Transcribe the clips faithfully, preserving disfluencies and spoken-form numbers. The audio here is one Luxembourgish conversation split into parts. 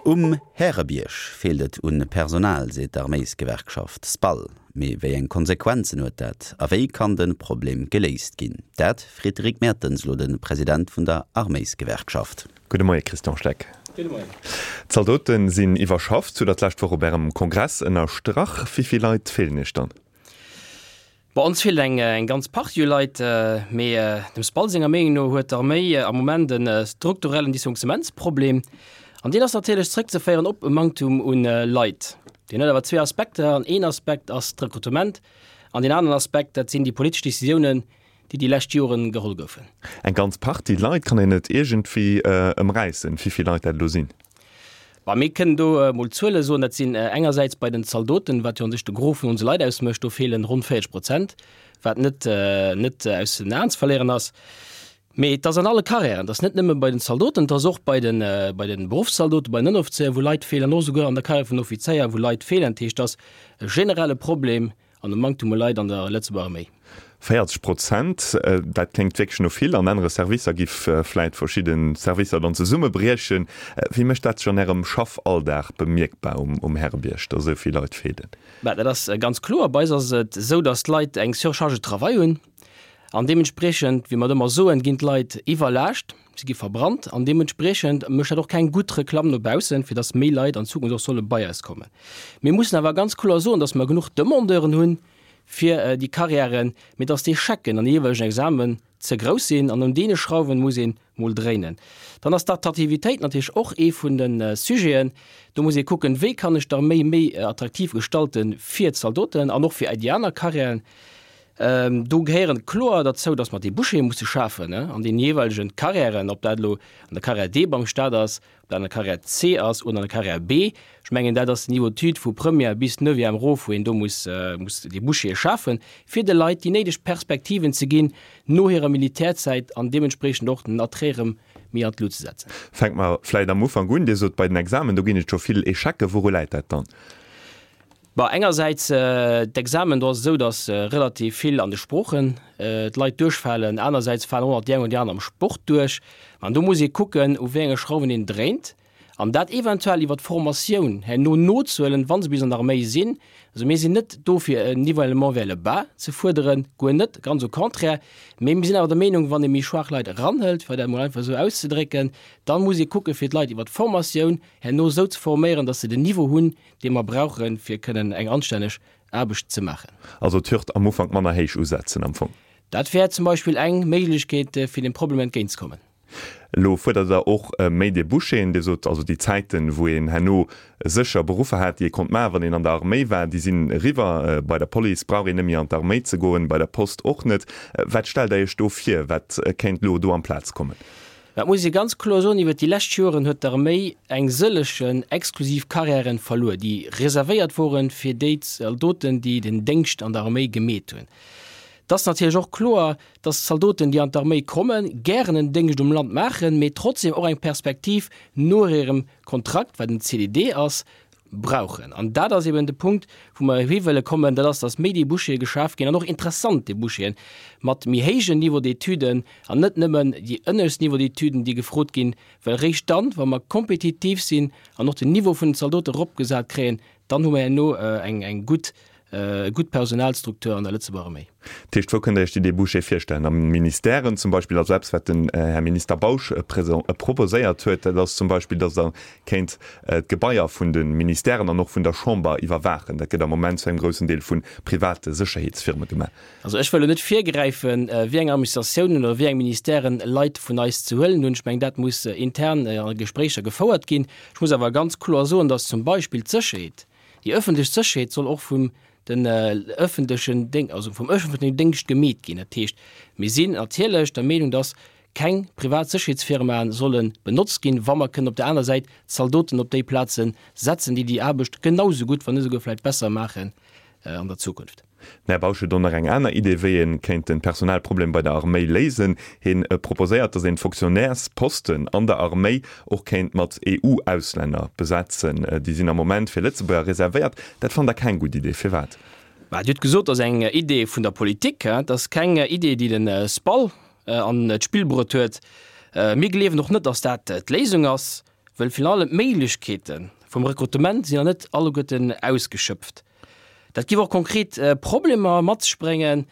Um Härebierg feelt et un Personal, seet d'Arméisgewerkschaft SPAL. Mee wéi eng Konsequenzen huet dat a wéi kann de Problem geléist ginn? Dat freet de Rick Mertens elo de President vun der Arméisgewerkschaft. Gudde Moie Christian Schleck. Gudde Moien. D'Zaldote sinn iwwerschafft, hutt Der d'lescht Woch op Ärem Kongress ënnerstrach. Wéi vill Leit feelen Iech dann? Bei ons feelt eng eng ganz Partie u Leit, mee dem SPAL senger Meenung no huet d'Arméi am Moment e strukturellen Dysfonctionnementsproblem. An deen ass natierlech zréckzeféieren op e Manktum u Leit. Deen huet awer zwee Aspekter, an een Aspekt ass d'Rekrutement an deen aneren Aspekt, dat sinn déi politesch Décisiounen, déi déi lescht Joren geholl goufen. Eng ganz Partie Leit, kann een et iergendwéi ëmräissen, wéi vill Leit dat elo sinn? Bah, mir kënnen do emol Zuele soen. Dat sinn engersäits bei den Zaldoten, wat jo an sech de Gros vun onse Leit ausmécht, do feelen ronn véierzeg Prozent, wat net net aus den Aen ze verléieren ass. Mee et ass an alle Carrièren, et ass net nëmme bei den Zaldoten, et ass och bei den bei den Beruffszaldoten, bei den Ënneroffizéier, wou Leit feelen, an och souguer an der Carrière vun den Offizéier, wou Leit feelen. Dat heescht, et ass e generelle Problem an e Manktum u Leit an der Lëtzebuerger Arméi. Véierzeg Prozent, dat kléngt wierklech no vill. An anere Servicer giff vläit verschidde Servicer dann zesummebriechen. Wéi mécht dat sech an Ärem Schaffalldag bemierkbar um Härebierg, datt esou vill Leit feelen? Bah, dat ass ganz kloer. Bei eis ass et esou, datt d'Leit eng Surcharge de travail hunn. An deementspriechend, wéi mer et ëmmer soen, ginn d'Leit iwwerlaascht, si gi verbrannt. An deementspriechend mécht dat och keng gutt Reklamm no baussen, fir datt méi Leit an Zukunft och solle bei eis kommen. Mir mussen awer ganz kloer soen, datt mer genuch Demandeuren hunn fir déi Carrièren, mee datt d'Echecken an de jeeweilegen Examen ze grouss sinn an un deene Schrauwen muss een mol dréinen. Dann ass d'Attraktivitéit natierlech och ee vun de Sujeten. Do muss ee kucken, wéi kann ech d'Arméi méi attraktiv gestalte fir d'Zaldoten an och fir déi aner Carrièren. Do gehéieren kloer derzou, dass mer Débouchéë musse schafen an den jeeweilegen Carrièren, ob dat elo an der Carrière D beim Stat ass, ob dat an der Carrière C ass oder an der Carrière B. Ech mengen, dat ass den Niveau d'études vu Première bis Neuvième erof, wou een do muss muss Débouchéë schafen, fir de Leit déi néideg Perspektiven ze ginn no hirer Militärzäit an deementspreechend och den Attrait erëm méi an d'Lut ze setzen. Fänke mer vläicht am Ufank un. Dir sot, bei den Examen, do ginn et scho vill Echecken. Wouru läit dat dann? Bon, engersäits d'Examen, do ass et esou, datt relativ vill an de Sproochen d'Leit duerchfalen, anersäits falen och nach déi eng oder déi aner am Sport duerch. An do muss ee kucken, u wéi enge Schrauwen een dréint an dat eventuell iwwer d'Formatioun herno nozehuelen, wa se bis an der Arméi sinn. Also mir sinn net do fir en Nivellement vers le bas ze fuerderen, guer net, ganz au contraire, mee mir sinn awer der Meenung, wann ee méi schwaach Leit eranhëlt, fir dat emol einfach esou auszedrécken, da muss ee kucke fir d'Leit iwwer d'Formatioun herno esou ze forméieren, datt se den Niveau hunn, dee mer brauchen, fir kënnen eng anstänneg Aarbecht ze maachen. Also d'Hürd am Ufank manner héich usetzen am Fong. Dat wär zum Beispill eng Méiglechkeet, fir dem Problem entgéintzekommen. Elo fuerdert Der och méi Débouchéen. Dir sot also, déi Zäiten, wou een herno sécher Beruffer hat, déi ee konnt maachen, wann een an der Arméi war, déi sinn eriwwer. Bei der Police brauch een net méi an d'Arméi ze goen, bei der Post och net. Wat stellt Der Iech do vir? Wat kéint elo do amplaz kommen? Dat muss ee ganz kloer soen, Iwwert déi lescht Joren huet d'Arméi eng sëllegen exklusiv Carrièren verluer, déi reservéiert woren fir déi Zaldoten, déi den Déngscht an der Arméi gemeet hunn. Et ass natierlech och kloer, dass d'Zaldoten, déi an d'Arméi kommen, gären en Déngscht um Land maachen, mee trotzdem och eng Perspektiv no hirem Kontrakt, wat en C D D ass, brauchen. An dat ass eben de Punkt, wou mer hi wëlle kommen, dat ass, dass méi Débouchéë geschaf ginn an och interessant Débouchéen mat méi héijen Niveau d'étuden an net nëmmen déi ënnescht Niveau d'étuden, déi gefrot ginn, well eréischt dann, wa mer kompetitiv sinn an och den Niveau vun den Zaldote eropgesat kréien, dann hu mer herno eng, eng gutt, gutt Personalstruktur an der Lëtzebuerger Arméi. Dat heescht, wou kënnt Der Iech déi Débouchée virstellen? A Ministèren zum Beispill? Also eppes, wat den Här Minister Bausch proposéiert huet, dat ass zum Beispill, datt Der kéint d'Gebaier vun de Ministèren an och vun der Chamber iwwerwaachen. Dat gëtt am Moment zu engem groussen Deel vu private Sécherheetsfirme gemaach. Also ech wëll elo net virgräifen, wéi eng Administratiounen oder wéi eng Ministèren Leit vun eis ze huelen hunn. Ech mengen, dat muss intern a Gespréicher gefouert ginn. Ech muss awer ganz kloer soen, datt zum Beispill d'Sécherheet, déi ëffentlech Sécherheet soll och vum den ëffentlechen Déng, also vum ëffentlechen Déngscht gemeet ginn. Dat heescht, mir sinn natierlech der Meenung, dass keng privat Sécherheetsfirmae solle benotzt ginn, wa mer kënnen op der aner Säit Zaldoten op déi Plaze setzen, déi déi Aarbecht genau esou gutt, wann net esouguer vläicht besser maachen an der Zukunft. Den Här Bausch huet och nach eng aner Idee, wéi ee kéint de Personalproblem bei der Arméi léisen. Hien proposéiert, datt een d'Fonctionnairsposten an der Arméi och kéint mat E U-Auslänner besetzen. Déi sinn am Moment fir Lëtzebuerger reservéiert. Dat fannt Der keng gutt Idee. Firwat? Bah, Dir hutt gesot, dat ass eng Idee vun der Politik. Dat ass keng Idee, déi de SPAL an d'Spill bruet huet. Mir gleewen och net, datt dat d'Léisung ass. Well virun allem d'Méiglechkeete vum Rekrutement sinn nach net alleguerten ausgeschöpft. Dat géif och konkret Problemer mat sech bréngen,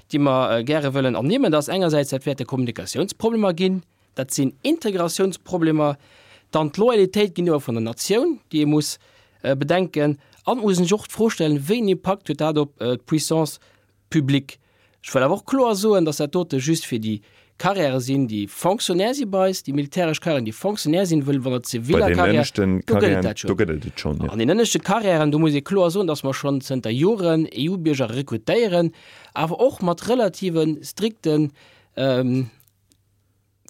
déi mer gäre wëllen ernimmen. Dat ass engersäits, dat wäerte Kommunikatiounsproblemer ginn, dat sinn Integratiounsproblemer, dann d'Loyalitéit géintiwwer vun der Natioun, déi ee muss bedenken. An et muss een sech och d'Fro stellen, Wéi en Impakt huet dat op d'Puissance publique? Ech wëll awer och kloer soen, dass dat dote just fir déi Carrièrë sinn, déi Fonctionnaire si bei eis, déi militäresch Carrièren, déi Fonctionnaire sinn, wëll wann der Bei ziviler den Carrière, ënneschten do gëtt et Carrièren, dat do schonn. gëtt et et schonn, jo. An den ënneschte Carrièren, do muss ee kloer soen, dass mer schonn zënter Joren E U-Bierger rekrutéieren, awer och mat relative strikten,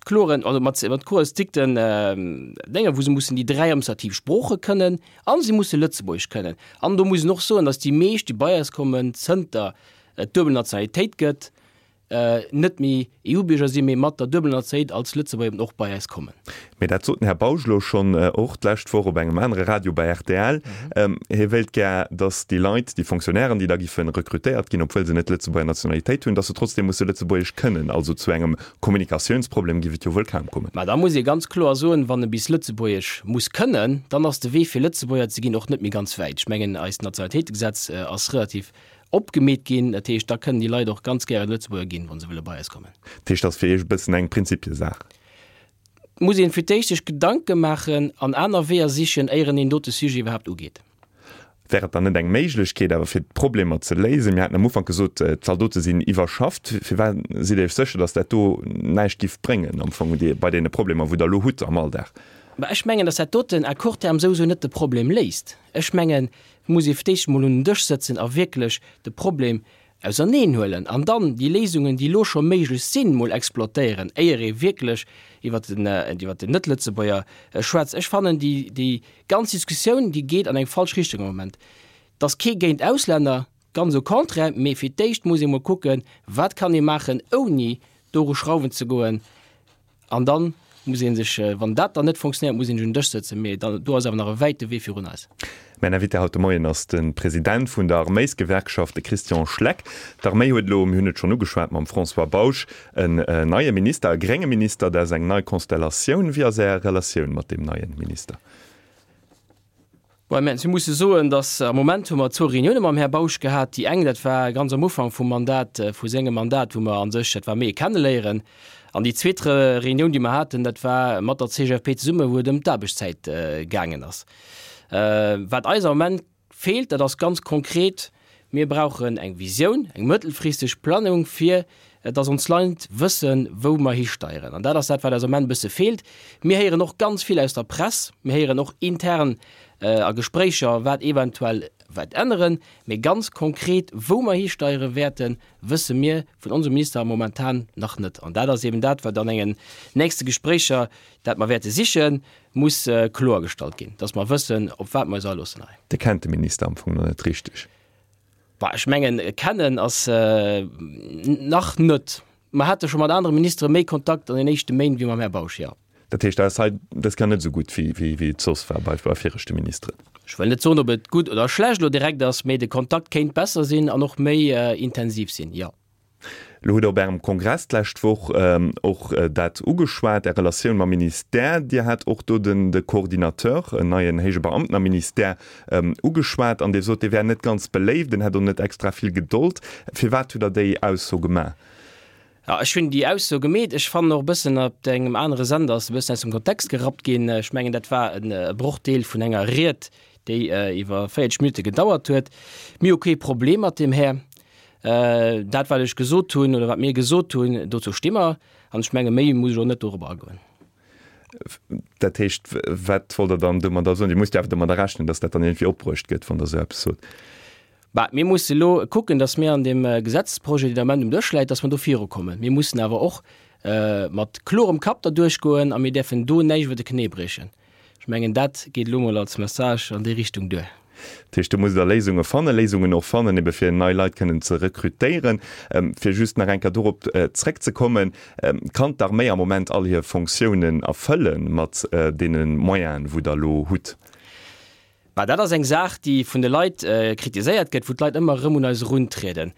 kloren, also mat, mat kloer strikten Dénger, wou se mussen déi dräi administrativ Sprooche kënnen a se musse Lëtzebuergesch kënnen. An do muss een och soen, dass déi meescht, déi bei eis kommen, zënter et d'duebel Nationalitéit gëtt, net méi E U-Bierger sinn, mee mat der duebeler Nationalitéit als Lëtzebuerger eben och bei eis kommen. Mee dat sot den Här Bausch elo schonn och d'lescht Woch op engem anere Radio bei R T L. Hie wéilt gär, datt déi Leit, déi Fonctionnairen, déi da giffe rekrutéiert ginn, obwuel se net d'Lëtzebuerger Nationalitéit hunn, datt se trotzdeem musse Lëtzebuergesch kënnen. Also zu engem Kommunikatiounsproblem giff et jo wuel kaum kommen. Mä da muss ee ganz kloer soen, wann e bis Lëtzebuergesch muss kënnen, dann ass de Wee fir Lëtzebuerger ze ginn och net méi ganz wäit. Ech mengen, eist Nationalitéitegesetz ass relativ opgemeet ginn. Dat heescht, da kënnen déi Leit och ganz gären Lëtzebuerger ginn, wa se wëlle bei eis kommen. Dat heescht, dat ass fir Iech e bëssen eng Prinzipiesaach? Et muss een fir d'éischt sech Gedanke maachen an aner Weeër sichen, éieren een dote Sujet iwwerhaapt ugeet. Wär et dann net eng Méiglechkeet awer fir d'Problemer ze léisen? Mir haten am Ufank gesot, d'Zaldote sinn iwwerschafft. Firwat sidd Dir Iech sécher, datt dat do näischt giff bréngen am Fong bei deene Problemer, wou Der elo hutt am Alldag? Mä ech mengen, datt dat doten à court terme souwisou net de Problem léist. Ech mengen, et muss ee fir d'éischt emol un den Dësch sëtzen a wierklech de Problem auserneenhuelen an dann déi Léisungen, déi elo scho méiglech sinn, mol exploitéieren, éier ee wierklech iwwert den, iwwert den Net-Lëtzebuerger schwätzt. Ech fannen, déi, déi ganz Diskussioun, déi geet an eng falsch Richtung am Moment. Et ass kee géint Auslänner, ganz au contraire, mee fir d'éischt muss ee mol kucken, wat kann ee maachen, ouni doru schrauwen ze goen. An dann muss ee sech, wann dat dann net funktionéiert, muss een sech un den Dësch sëtzen. Mee dann, do ass awer nach e wäite Wee virun eis. Mäin Invité haut de Moien ass de President vun der Arméisgewerkschaft, de Christian Schleck. D'Arméi huet elo, mir hunn et schonn ugeschwat mam François Bausch, en neie Minister, e grénge Minister. Dat ass eng nei Konstellatioun. Wéi ass Är Relatioun mat deem neie Minister? Bon, mir musse soen, datt am Moment hu mer zwou Reunioune mam Här Bausch gehat. Déi eng, dat war ganz am Ufank vum Mandat, vu sengem Mandat, wou mer a sech, dat war méi e Kenneléieren. An déi zweet Reunioun, déi mer haten, dat war mat der C G F P zesumme, wou et ëm d'Aarbechtszäit gaangen ass. Wat eis am Moment feelt, dat ass ganz konkret, Mir brauchen eng Visioun, eng mëttelfristeg Planung, fir dass ons Leit wëssen, wou mer histeieren. An dat ass dat, wat eis am Moment e bësse feelt. Mir héieren och ganz vill aus der Press, mir héieren och intern a Gespréicher, wat eventuell wäert änneren, mee ganz konkret, wou mer histeiere wäerten, wësse mir vun onsem Minister momentan nach net. An dat ass eben dat, wat an engen nächste Gespréicher, dat mer wäerte sichen, muss kloergestallt ginn, dass mer wëssen, op wat mer eis aloossen hei. Dir kennt de Minister am Fong nach net richteg? Bah, ech mengen, kennen ass nach net. Mer hate scho mat anere Ministere méi Kontakt an den éischte Méint wéi mam Här Bausch, jo. Dat heescht, dat ass hei dës Kéier net esou gutt, wéi, wéi, wéi et soss war bei, bei viregte Ministeren? Ech wëll net soen, ob et gutt oder schlecht elo direkt ass, mee de Kontakt kéint besser sinn an och méi intensiv sinn, jo. Elo hutt Der op Ärem Kongress d'lescht Woch och dat ugeschwat, Är Relatioun mam Ministère. Dir hat och do den, de Coordinateur, en neien héije Beamten am Ministère, ugeschwat an Dir sot, dee wär net ganz beléift, en hätt och net extra vill Gedold. Firwat hutt Der déi Ausso gemaach? Jo, ech hunn déi Ausso gemeet. Ech fannen och e bëssen, op engem anere Sender ass e bëssen aus dem Kontext gerappt ginn. Ech mengen, dat war e Brochdeel vun enger Ried, déi iwwer véierzeg Minutte gedauert huet. Mir hu kee Problem mat deem Här. Dat, wat ech gesot hunn oder wat mir gesot hunn, dozou sti mer. An ech menge méi muss ech och net dorobber agoen. Dat heescht, wat wollt Der dann domadder soen? Dir musst jo awer domadder rechnen, datt dat dann iergendwéi opbruecht gëtt, wann Der esou eppes sot. Bah, mir musse elo kucken, datt mir an deem Gesetzesprojet, deen am Ament um Dësch läit, datt mer do virukommen. Mir mussen awer och mat klorem Kapp derduerch goen a mir däerfen do näischt iwwer de Knéi briechen. Ech mengen, dat geet elo mol als Message an déi Richtung duer. Dat heescht, do musst Der Léisunge fannen, Léisungen och fannen, ebe fir nei Leit kënnen ze rekrutéieren. Fir just nach eng Kéier dorop zréckzekommen, Kann d'Arméi am Moment all hir Fonctiounen erfëlle mat deene Moyenen, wou Der elo hutt? Bah, dat ass eng Saach, déi vun de Leit kritiséiert gëtt, wou d'Leit ëmmer erëm un eis eruntrieden.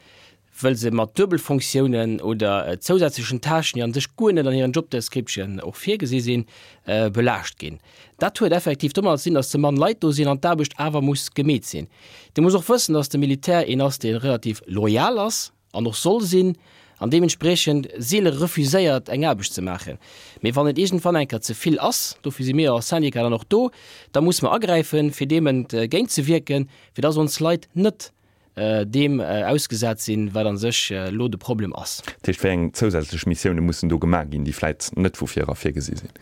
wëll se mat Duebelfonctiounen oder zousätzlechen Tâchen, déi an sech guer net an hiren Job Description och virgesi sinn, belaascht ginn. Dat huet effektiv domadder ze dinn, dass ze mann Leit do sinn an d'Aarbecht awer muss gemeet sinn. Dir musst och wëssen, dass de Militär een ass, dee relativ loyal ass an och soll sinn an deementspriechend seele refuséiert, eng Aarbecht ze maachen. Mee wann et iergendwann eng Kéier ze vill ass, dofir si mir als Syndicat dann och do, da muss mer agräifen, fir deem entgéintzewierken, fir dass ons Leit net deem ausgesat sinn, wat a sech elo de Problem ass. Dat heescht, wéi eng zousätzlech Missioune mussen do gemaach ginn, déi vläit net vu vir era virgesi sinn?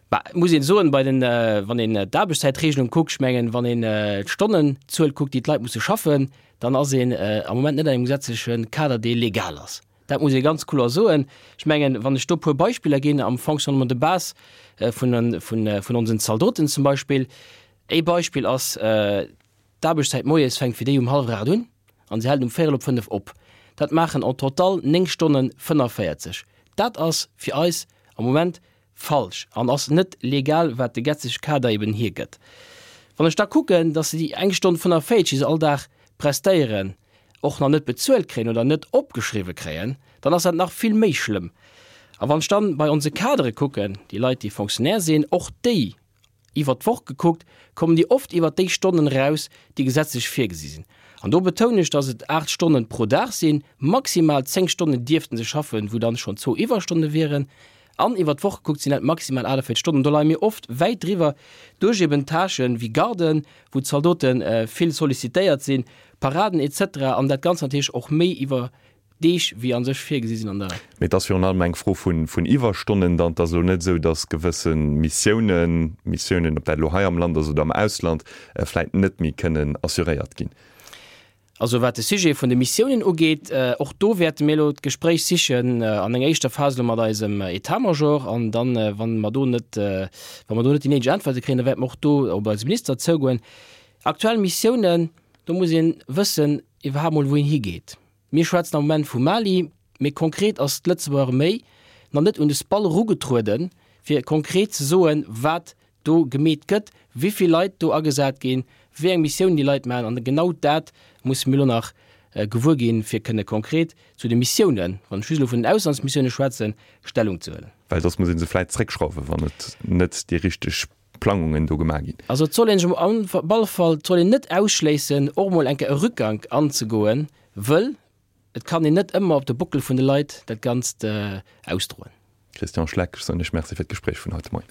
Bah, et muss een soen, bei den, wann een d'Aarbechtszäitregelung kuckt, ech mengen, wann een d'Stonnenzuel kuckt, déi d'Leit musse schaffen, dann ass een am Moment net an engem gesetzleche Kader, dee legal ass. Dat muss ee ganz kloer soen. Ech mengen, wann ech do e puer Beispiller ginn am Fonctionnement de base vun, vun, vun onsen Zaldoten zum Beispill. Ee Beispill ass, D'Aarbechtszäit moies fänkt fir déi um hallwer aacht un an se hält um véierel op fënnef op. Dat maachen en total néng Stonne fënnefvéierzeg. Dat ass fir eis am Moment falsch an ass net legal, wat de gesetzleche Kader eben hiergëtt. Wann ech da kucken, dass se déi eng Stonn fënnefvéierzeg, déi se all Dag prestéieren, och nach net bezuelt kréien oder net opgeschriwwe kréien, dann ass dat nach vill méi schlëmm. A wann ech dann bei onse Kadere kucken, déi Leit, déi Fonctionnaire sinn, och déi Iwwer d'Woch gekuckt, kommen déi oft iwwer déi Stonnen eraus, déi gesetzlech virgesi sinn. An do betounen ech, dass et aacht Stonnen pro Dag sinn, maximal zéng Stonnen dierften se schaffen, wou dann schonn zwou Iwwerstonne wieren. An iwwer d'Woch gekuckt sinn dat maximal achtundvéierzeg Stonnen. Do leie mir oft wäit driwwer, duerch eben Tâchen wéi Garden, wou d'Zaldote vill sollicitéiert sinn, Paraden et cetera an dat Ganzt natierlech och méi iwwer Deeg, wéi a sech virgesi sinn an der. Mee et ass virun allem eng Fro vun Iwwerstonnen dann. Et ass elo net esou, datt gewësse Missiounen, Missiounen, ob dat elo hei am Land ass oder am Ausland, vläit net méi kënnen assuréiert ginn. Also wat de Sujet vun de Missiounen ugeet, och do wäerte mir elo d'Gespréich sichen an enger éischter Phas elo mat eisem État-major an dann, wa mer do net, wa mer do net déi néideg Äntwerte kréien, da wäerte mer och do op eise Minister zougoen. Aktuell Missiounen, do muss ee wëssen iwwerhaapt mol wou een higeet. Mir schwätzen am Moment vu Mali, mee konkret ass d'Lëtzebuerger Arméi nach net un de SPAL erugetrueden, fir konkret ze soen, wat do gemeet gëtt, wéi vill Leit do agesat ginn, wéi eng Missiounen déi Leit maachen. An genau dat musse mir elo nach gewuer ginn, fir kënne konkret zu de Missiounen, wann ech just elo vun den Auslandsmissioune schwätzen, Stellung ze huelen. Well soss muss ee se vläicht zréckschrauwen, wann et net déi richteg Plangungen do gemaach ginn. Also et soll een sech op alle Fall, et soll een net ausschléissen, och emol eng Kéier e Rückgank anzegoen, wëll et kann een net ëmmer op de Bockel vun de Leit dat Ganzt ausdroen. Christian Schleck, ech soen Iech Merci fir d'Gespréich vun haut de Moien.